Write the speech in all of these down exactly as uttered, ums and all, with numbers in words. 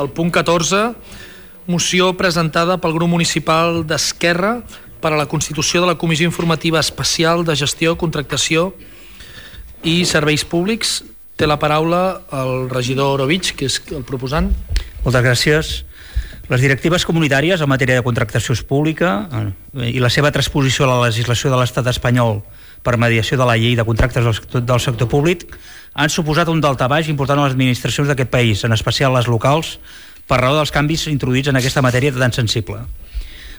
el punt catorze, moció presentada pel grup municipal d'Esquerra per a la constitució de la Comissió Informativa Especial de Gestió, Contractació i Serveis Públics. Té la paraula el regidor Orovich, que és el proposant. Moltes gràcies. Les directives comunitàries en matèria de contractació pública i la seva transposició a la legislació de l'Estat espanyol per mediació de la llei de contractes del sector, del sector públic han suposat un daltabaix important a les administracions d'aquest país, en especial les locals, per raó dels canvis introduïts en aquesta matèria tan sensible.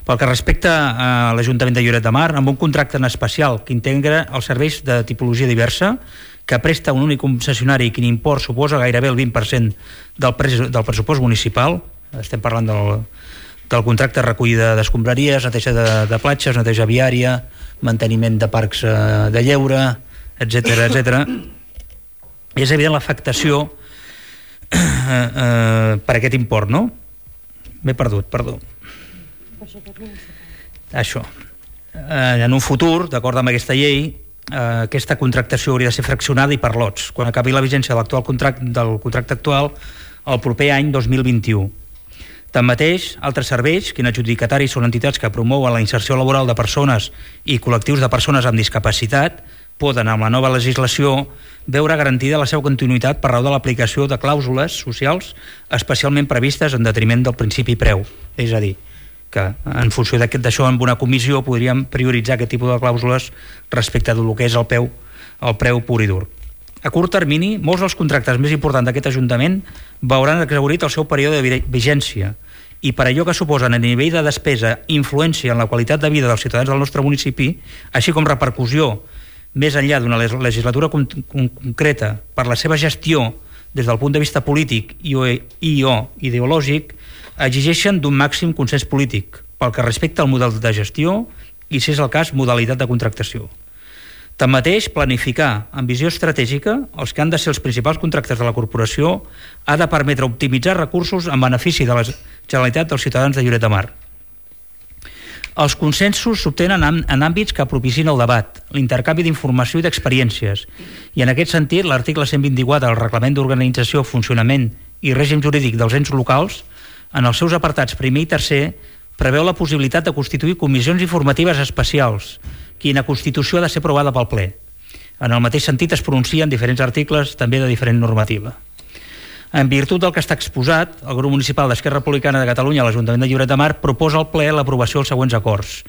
Pel que respecta a l'Ajuntament de Lloret de Mar, amb un contracte en especial que integra els serveis de tipologia diversa, que presta un únic concessionari i que l'import suposa gairebé el vint per cent del, pres del pressupost municipal, estem parlant del, del contracte de recollida d'escombraries, neteja de, de platges, neteja viària, manteniment de parcs eh, de lleure, etcètera, etcètera. És evident l'afectació eh, eh, per aquest import, no? M'he perdut, perdó. Això. Eh, en un futur, d'acord amb aquesta llei, eh, aquesta contractació hauria de ser fraccionada i per lots, quan acabi la vigència de l'actual contracte, del contracte actual el proper any dos mil vint-i-u. Tanmateix, altres serveis, que en adjudicataris són entitats que promouen la inserció laboral de persones i col·lectius de persones amb discapacitat, poden, amb la nova legislació, veure garantida la seva continuïtat per raó de l'aplicació de clàusules socials especialment previstes en detriment del principi preu. És a dir, que en funció d'això en una comissió podríem prioritzar aquest tipus de clàusules respecte del que és el preu, el preu pur i dur. A curt termini, molts dels contractes més importants d'aquest Ajuntament veuran exhaurit el seu període de vigència i per allò que suposen a nivell de despesa influència en la qualitat de vida dels ciutadans del nostre municipi, així com repercussió més enllà d'una legislatura con concreta per la seva gestió des del punt de vista polític i o, i o ideològic, exigeixen d'un màxim consens polític pel que respecta al model de gestió i, si és el cas, modalitat de contractació. Tanmateix, planificar amb visió estratègica els que han de ser els principals contractes de la corporació ha de permetre optimitzar recursos en benefici de la Generalitat dels ciutadans de Lloret de Mar. Els consensos s'obtenen en àmbits que propicien el debat, l'intercanvi d'informació i d'experiències, i en aquest sentit l'article cent vint-i-quatre del Reglament d'Organització, Funcionament i Règim Jurídic dels Ens Locals, en els seus apartats primer i tercer, preveu la possibilitat de constituir comissions informatives especials, quina constitució ha de ser aprovada pel ple. En el mateix sentit es pronuncien diferents articles també de diferent normativa. En virtut del que està exposat, el grup municipal d'Esquerra Republicana de Catalunya a l'Ajuntament de Lloret de Mar proposa al ple l'aprovació dels següents acords.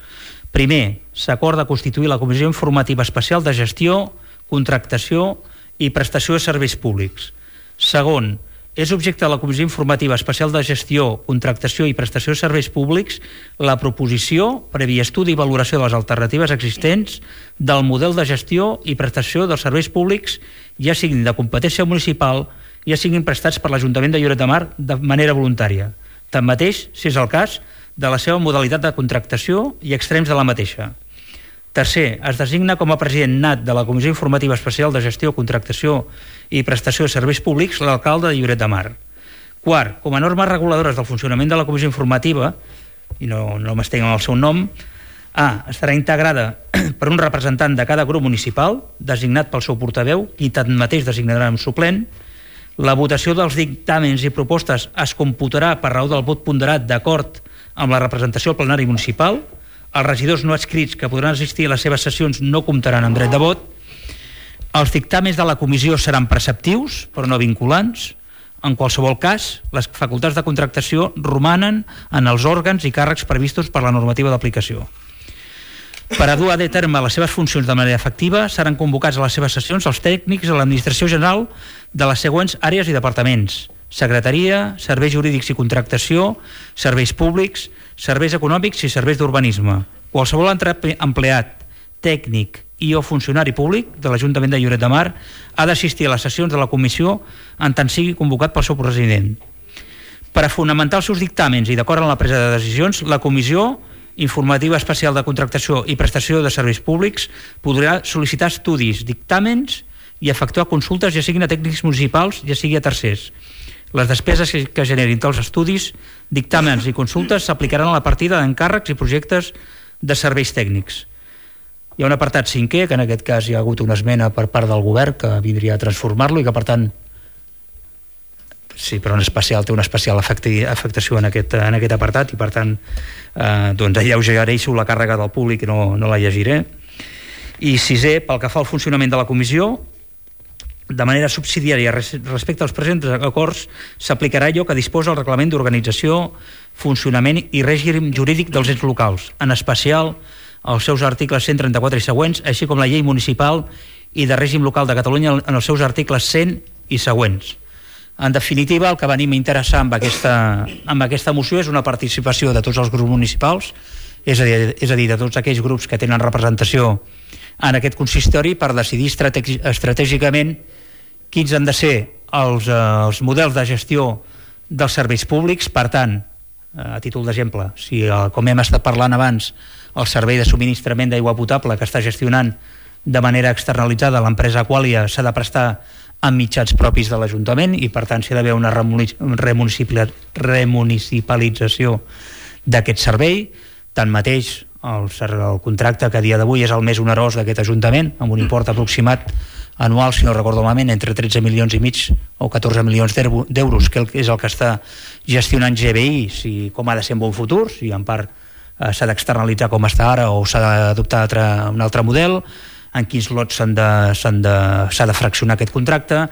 Primer, s'acorda constituir la Comissió Informativa Especial de Gestió, Contractació i Prestació de Serveis Públics. Segon, és objecte de la Comissió Informativa Especial de Gestió, Contractació i Prestació de Serveis Públics la proposició, previ estudi i valoració de les alternatives existents del model de gestió i prestació dels serveis públics, ja siguin de competència municipal, ja siguin prestats per l'Ajuntament de Lloret de Mar de manera voluntària. Tanmateix, si és el cas, de la seva modalitat de contractació i extrems de la mateixa. Tercer, es designa com a president nat de la Comissió Informativa Especial de Gestió, Contractació i Prestació de Serveis Públics l'alcalde de Lloret de Mar. Quart, com a normes reguladores del funcionament de la Comissió Informativa, i no, no m'estenc en el seu nom, A. Estarà integrada per un representant de cada grup municipal, designat pel seu portaveu, qui tanmateix designarà un suplent. La votació dels dictàmens i propostes es computarà per raó del vot ponderat d'acord amb la representació al plenari municipal. Els regidors no adscrits que podran assistir a les seves sessions no comptaran amb dret de vot. Els dictàmens de la comissió seran preceptius, però no vinculants. En qualsevol cas, les facultats de contractació romanen en els òrgans i càrrecs previstos per la normativa d'aplicació. Per a dur a terme les seves funcions de manera efectiva, seran convocats a les seves sessions els tècnics de l'Administració General de les següents àrees i departaments: Secretaria, Serveis Jurídics i Contractació, Serveis Públics, Serveis Econòmics i Serveis d'Urbanisme. Qualsevol empleat, tècnic i o funcionari públic de l'Ajuntament de Lloret de Mar ha d'assistir a les sessions de la comissió en tant sigui convocat pel seu president. Per a fonamentar els seus dictàmens i d'acord amb la presa de decisions, la Comissió Informativa Especial de Contractació i Prestació de Serveis Públics podrà sol·licitar estudis, dictàmens i efectuar consultes, ja siguin a tècnics municipals, ja sigui a tercers. Les despeses que generin tals estudis, dictàmens i consultes s'aplicaran a la partida d'encàrrecs i projectes de serveis tècnics. Hi ha un apartat cinquè, que en aquest cas hi ha hagut una esmena per part del govern que vindria a transformar-lo i que, per tant, sí, però en especial té una especial afectació en aquest, en aquest apartat i per tant eh, doncs alleugereixo la càrrega del públic i no, no la llegiré. I sisè, pel que fa al funcionament de la comissió, de manera subsidiària respecte als presents acords s'aplicarà allò que disposa el reglament d'organització, funcionament i règim jurídic dels ens locals, en especial els seus articles cent trenta-quatre i següents, així com la llei municipal i de règim local de Catalunya en els seus articles cent i següents. En definitiva, el que venim a interessar amb aquesta, amb aquesta moció és una participació de tots els grups municipals, és a dir, és a dir de tots aquells grups que tenen representació en aquest consistori per decidir estratègicament quins han de ser els, eh, els models de gestió dels serveis públics. Per tant, a títol d'exemple, si eh, com hem estat parlant abans, el servei de subministrament d'aigua potable que està gestionant de manera externalitzada l'empresa Aqualia s'ha de prestar amb mitjans propis de l'Ajuntament i per tant s'ha d'haver una remunicipalització d'aquest servei. Tanmateix, el, el contracte que a dia d'avui és el més onerós d'aquest Ajuntament, amb un import aproximat anual, si no recordo malament, entre tretze milions i mig o catorze milions d'euros, que és el que està gestionant G B I, si, com ha de ser en bon futur, si en part eh, s'ha d'externalitzar com està ara o s'ha d'adoptar un altre model, en quins lots s'ha de, de, de fraccionar aquest contracte.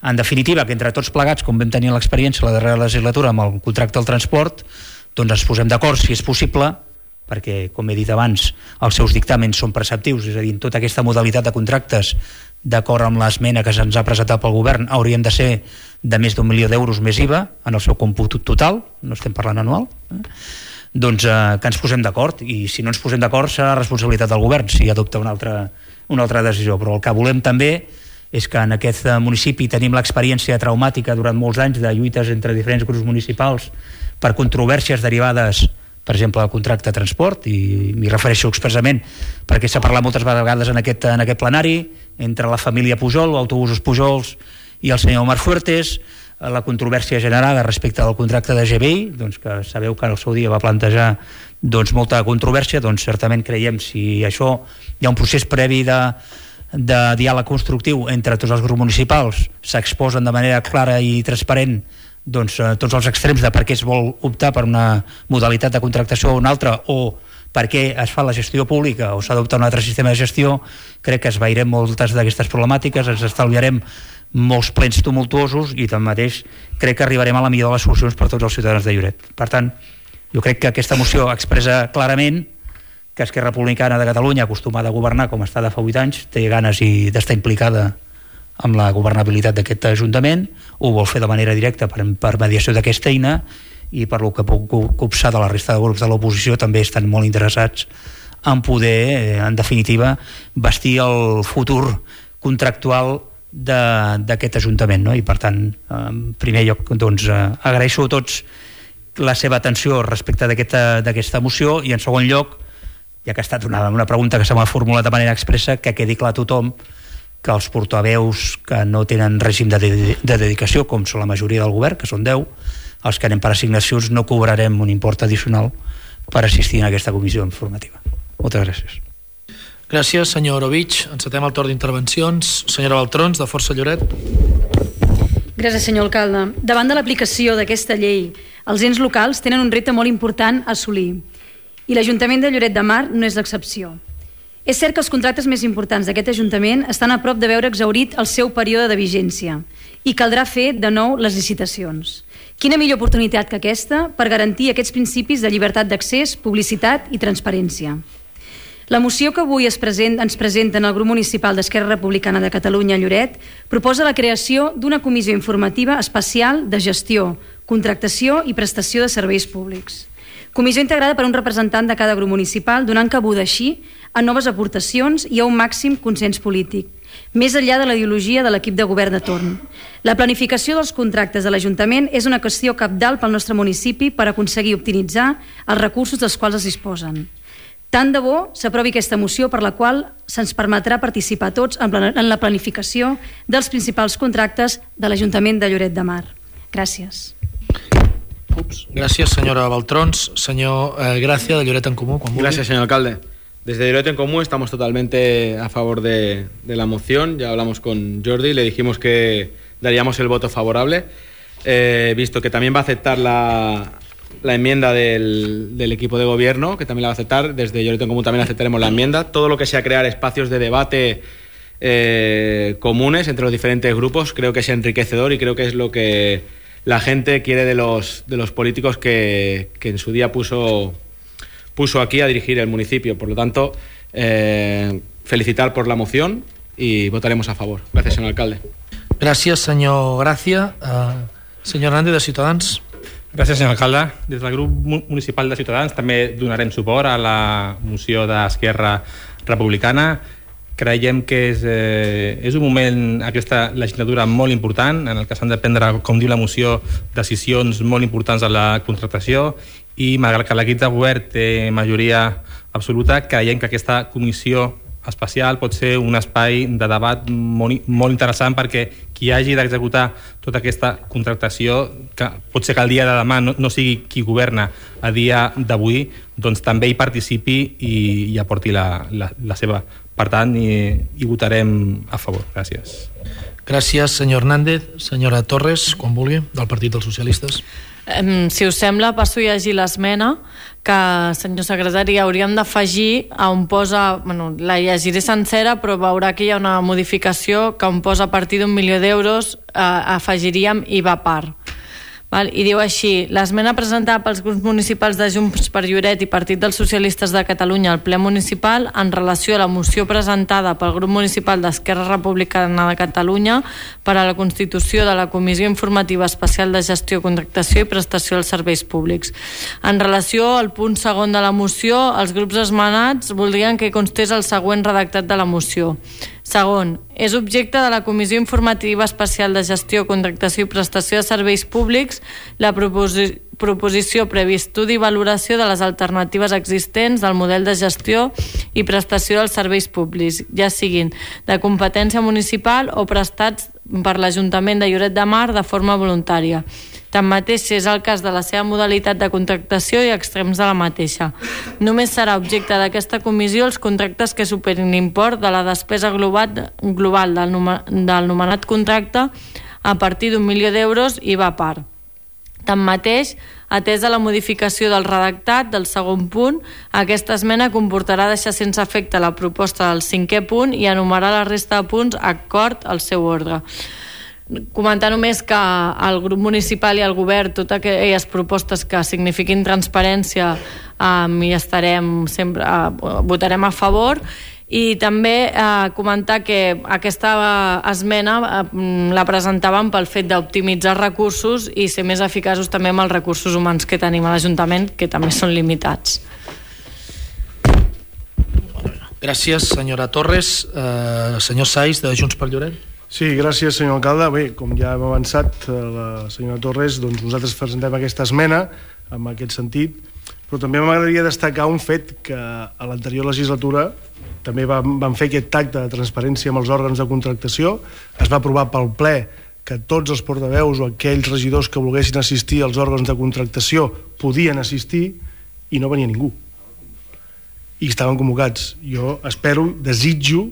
En definitiva, que entre tots plegats, com vam tenir l'experiència la darrera legislatura amb el contracte del transport, doncs ens posem d'acord, si és possible, perquè, com he dit abans, els seus dictàmens són preceptius, és a dir, en tota aquesta modalitat de contractes, d'acord amb l'esmena que se'ns ha presentat pel govern, haurien de ser de més d'un milió d'euros més I V A en el seu còmput total, no estem parlant anual, eh? doncs eh, que ens posem d'acord, i si no ens posem d'acord serà responsabilitat del govern si adopta una altra, una altra decisió. Però el que volem també és que en aquest municipi tenim l'experiència traumàtica durant molts anys de lluites entre diferents grups municipals per controvèrsies derivades, per exemple, del contracte de transport, i m'hi refereixo expressament perquè s'ha parlat moltes vegades en aquest, en aquest plenari entre la família Pujol, Autobusos Pujols i el senyor Omar Fuertes, la controvèrsia generada respecte al contracte de G B I, doncs que sabeu que al seu dia va plantejar doncs, molta controvèrsia, doncs certament creiem si això hi ha un procés previ de, de diàleg constructiu entre tots els grups municipals, s'exposen de manera clara i transparent doncs, tots els extrems de per què es vol optar per una modalitat de contractació o una altra, o per què es fa la gestió pública o s'adopta un altre sistema de gestió. Crec que esvairem moltes d'aquestes problemàtiques, ens estalviarem molts plens tumultuosos i tanmateix crec que arribarem a la millor de les solucions per tots els ciutadans de Lloret. Per tant, jo crec que aquesta moció expressa clarament que Esquerra Republicana de Catalunya, acostumada a governar com està de fa vuit anys, té ganes i d'estar implicada amb la governabilitat d'aquest Ajuntament, ho vol fer de manera directa per, per mediació d'aquesta eina, i per lo que puc copsar de la resta de grups de l'oposició també estan molt interessats en poder, en definitiva, vestir el futur contractual d'aquest Ajuntament, no? I per tant, en primer lloc, doncs, agraeixo a tots la seva atenció respecte d'aquesta moció, i en segon lloc, ja que ha estat una, una pregunta que se m'ha formulat de manera expressa, que quedi clar a tothom que els portaveus que no tenen règim de, de, de dedicació, com són la majoria del govern, que són deu, els que anem per assignacions no cobrarem un import addicional per assistir en aquesta comissió informativa. Moltes gràcies. Gràcies, senyor Orovich. Encetem el torn d'intervencions. Senyora Baltrons, de Força Lloret. Gràcies, senyor alcalde. Davant de l'aplicació d'aquesta llei, els ens locals tenen un repte molt important a assolir, i l'Ajuntament de Lloret de Mar no és l'excepció. És cert que els contractes més importants d'aquest Ajuntament estan a prop de veure exhaurit el seu període de vigència i caldrà fer de nou les licitacions. Quina millor oportunitat que aquesta per garantir aquests principis de llibertat d'accés, publicitat i transparència. La moció que avui es present, ens presenta en el grup municipal d'Esquerra Republicana de Catalunya a Lloret proposa la creació d'una comissió informativa especial de gestió, contractació i prestació de serveis públics. Comissió integrada per un representant de cada grup municipal, donant cabuda així a noves aportacions i a un màxim consens polític, més enllà de la ideologia de l'equip de govern de torn. La planificació dels contractes de l'Ajuntament és una qüestió cabdal pel nostre municipi per aconseguir optimitzar els recursos dels quals es disposen. Tant de bo s'aprovi aquesta moció per la qual se'ns permetrà participar tots en la planificació dels principals contractes de l'Ajuntament de Lloret de Mar. Gràcies. Ups. Gràcies, senyora Baltrons. Senyor eh, Gracia, de Lloret en Comú. Gracias, señor alcalde. Desde Lloret en Comú estamos totalmente a favor de, de la moción. Ya hablamos con Jordi, le dijimos que daríamos el voto favorable. He visto que también va a aceptar la, la enmienda del, del equipo de gobierno, que también la va a aceptar. Desde Lloret en Común también aceptaremos la enmienda. Todo lo que sea crear espacios de debate eh, comunes entre los diferentes grupos creo que es enriquecedor y creo que es lo que la gente quiere de los, de los políticos que, que en su día puso, puso aquí a dirigir el municipio. Por lo tanto, eh, felicitar por la moción y votaremos a favor. Gracias, señor alcalde. Gràcies, senyor Gràcia. Uh, senyor Hernández, de Ciutadans. Gràcies, senyor alcalde. Des del grup municipal de Ciutadans també donarem suport a la moció d'Esquerra Republicana. Creiem que és, eh, és un moment, aquesta legislatura, molt important, en el que s'han de prendre, com diu la moció, decisions molt importants a la contractació, i malgrat que l'equip de govern té majoria absoluta, creiem que aquesta comissió especial pot ser un espai de debat molt, molt interessant, perquè qui hagi d'executar tota aquesta contractació, que pot ser que el dia de demà no, no sigui qui governa a dia d'avui, doncs també hi participi i, i aporti la, la, la seva. Per tant, hi, hi votarem a favor. Gràcies. Gràcies, senyor Hernández. Senyora Torres, quan vulgui, del Partit dels Socialistes. Um, si us sembla, passo a llegir l'esmena que, senyor secretari, hauríem d'afegir on posa, bueno, la llegiré sencera, però veurà que hi ha una modificació que on posa a partir d'un milió d'euros eh, afegiríem I V A part. Val? I diu així: l'esmena presentada pels grups municipals de Junts per Lloret i Partit dels Socialistes de Catalunya al ple municipal en relació a la moció presentada pel grup municipal d'Esquerra Republicana de Catalunya per a la constitució de la Comissió Informativa Especial de Gestió, Contractació i Prestació dels Serveis Públics. En relació al punt segon de la moció, els grups esmenats voldrien que constés el següent redactat de la moció. Segon, és objecte de la Comissió Informativa Especial de Gestió, Contractació i Prestació de Serveis Públics la proposi- proposició previ estudi i valoració de les alternatives existents del model de gestió i prestació dels serveis públics, ja siguin de competència municipal o prestats per l'Ajuntament de Lloret de Mar de forma voluntària. Tanmateix, si és el cas de la seva modalitat de contractació i extrems de la mateixa. Només serà objecte d'aquesta comissió els contractes que superin l'import de la despesa global, global del, del nomenat contracte a partir d'un milió d'euros I V A part. Tanmateix, atesa la modificació del redactat del segon punt, aquesta esmena comportarà deixar sense efecte la proposta del cinquè punt i enumerar la resta de punts acord al seu ordre. Comentar només que el grup municipal i el govern, totes aquelles propostes que signifiquin transparència, um, hi estarem sempre, uh, votarem a favor. I també eh, comentar que aquesta esmena eh, la presentàvem pel fet d'optimitzar recursos i ser més eficaços també amb els recursos humans que tenim a l'Ajuntament, que també són limitats. Gràcies, senyora Torres. Eh, senyor Saiz, de Junts per Lloret. Sí, gràcies, senyor alcalde. Bé, com ja hem avançat, la senyora Torres, doncs nosaltres presentem aquesta esmena en aquest sentit, però també m'agradaria destacar un fet que a l'anterior legislatura també vam, vam fer aquest tacte de transparència amb els òrgans de contractació. Es va aprovar pel ple que tots els portaveus o aquells regidors que volguessin assistir als òrgans de contractació podien assistir i no venia ningú. I estaven convocats. Jo espero, desitjo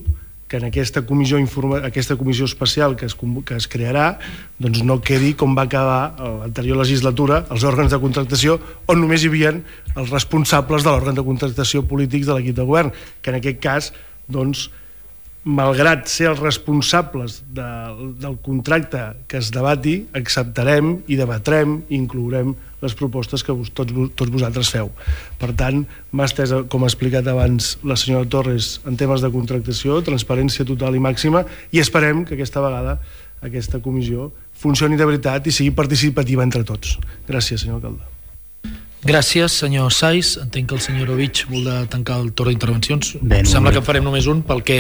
que en aquesta comissió, informa, aquesta comissió especial que es, que es crearà doncs no quedi com va acabar l'anterior legislatura, els òrgans de contractació, on només hi havia els responsables de l'òrgan de contractació polítics de l'equip de govern, que en aquest cas, doncs, malgrat ser els responsables de, del contracte que es debati, acceptarem i debatrem i inclourem les propostes que vos, tots, tots vosaltres feu. Per tant, mà estesa, com ha explicat abans la senyora Torres, en temes de contractació, transparència total i màxima, i esperem que aquesta vegada aquesta comissió funcioni de veritat i sigui participativa entre tots. Gràcies, senyor alcalde. Gràcies, senyor Saiz. Entenc que el senyor Ovich vol de tancar el torn d'intervencions. Bé, Sembla no, que en farem només un, pel que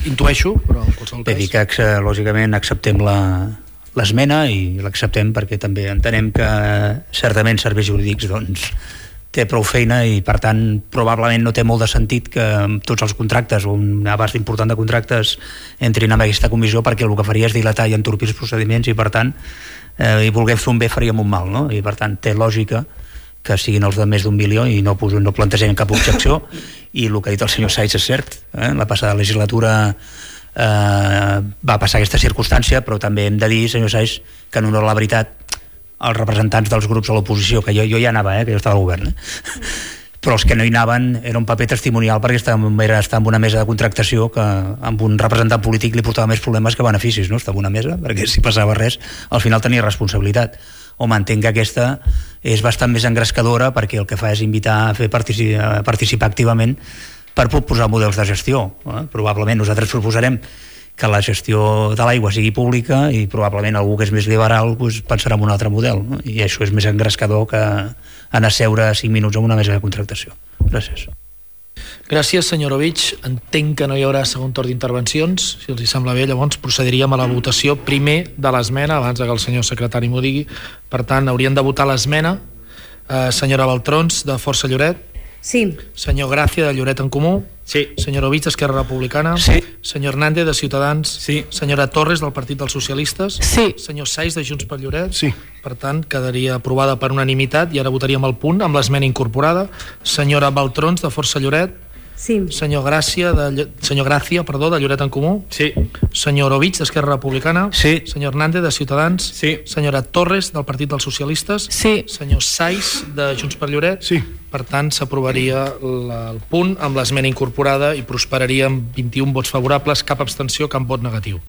intueixo, però en qualsevol Bé, cas... dir que, lògicament, acceptem la, l'esmena i l'acceptem perquè també entenem que certament serveis jurídics doncs, té prou feina i, per tant, probablement no té molt de sentit que tots els contractes o un abast important de contractes entrin en aquesta comissió, perquè el que faria és dilatar i entorpir els procediments i, per tant, eh, i volguem fer un bé faríem un mal, no? I, per tant, té lògica que siguin els de més d'un milió i no, no plantegem cap objecció. I el que ha dit el senyor Saiz és cert, eh? La passada legislatura eh, va passar aquesta circumstància, però també hem de dir, senyor Saiz, que en honor a la veritat els representants dels grups a l'oposició, que jo, jo ja anava, eh, que jo estava al govern, eh? Però els que no hi anaven era un paper testimonial perquè estava, era estar en una mesa de contractació que amb un representant polític li portava més problemes que beneficis, no? Estava en una mesa, perquè si passava res al final tenia responsabilitat. Home, entenc que aquesta és bastant més engrescadora perquè el que fa és invitar a fer partici a participar activament per proposar models de gestió. Eh? Probablement nosaltres proposarem que la gestió de l'aigua sigui pública i probablement algú que és més liberal doncs, pensarà en un altre model, no? I això és més engrescador que anar a seure cinc minuts en una mesa de contractació. Gràcies. Gràcies, senyor Ovich. Entenc que no hi haurà segon torn d'intervencions. Si els hi sembla bé, llavors procediríem a la votació primer de l'esmena, abans que el senyor secretari m'ho digui. Per tant, haurien de votar l'esmena. Eh, senyora Baltrons, de Força Lloret. Sí. Senyor Gràcia, de Lloret en Comú. Sí. Senyor Ovich, d'Esquerra Republicana. Sí. Senyor Hernández, de Ciutadans. Sí. Senyora Torres, del Partit dels Socialistes. Sí. Senyor Saiz, de Junts per Lloret. Sí. Per tant, quedaria aprovada per unanimitat i ara votaríem el punt amb l'esmena incorporada. Senyora Baltrons, de Força Lloret. Sí. Senyor Gràcia, de, senyor Gràcia, perdó, de Lloret en Comú. Sí. Senyor Ovich, d'Esquerra Republicana. Sí. Senyor Hernández, de Ciutadans. Sí. Senyora Torres, del Partit dels Socialistes. Sí. Senyor Saiz, de Junts per Lloret. Sí. Per tant, s'aprovaria el punt amb l'esmena incorporada i prosperaria amb vint-i-un vots favorables, cap abstenció, cap vot negatiu.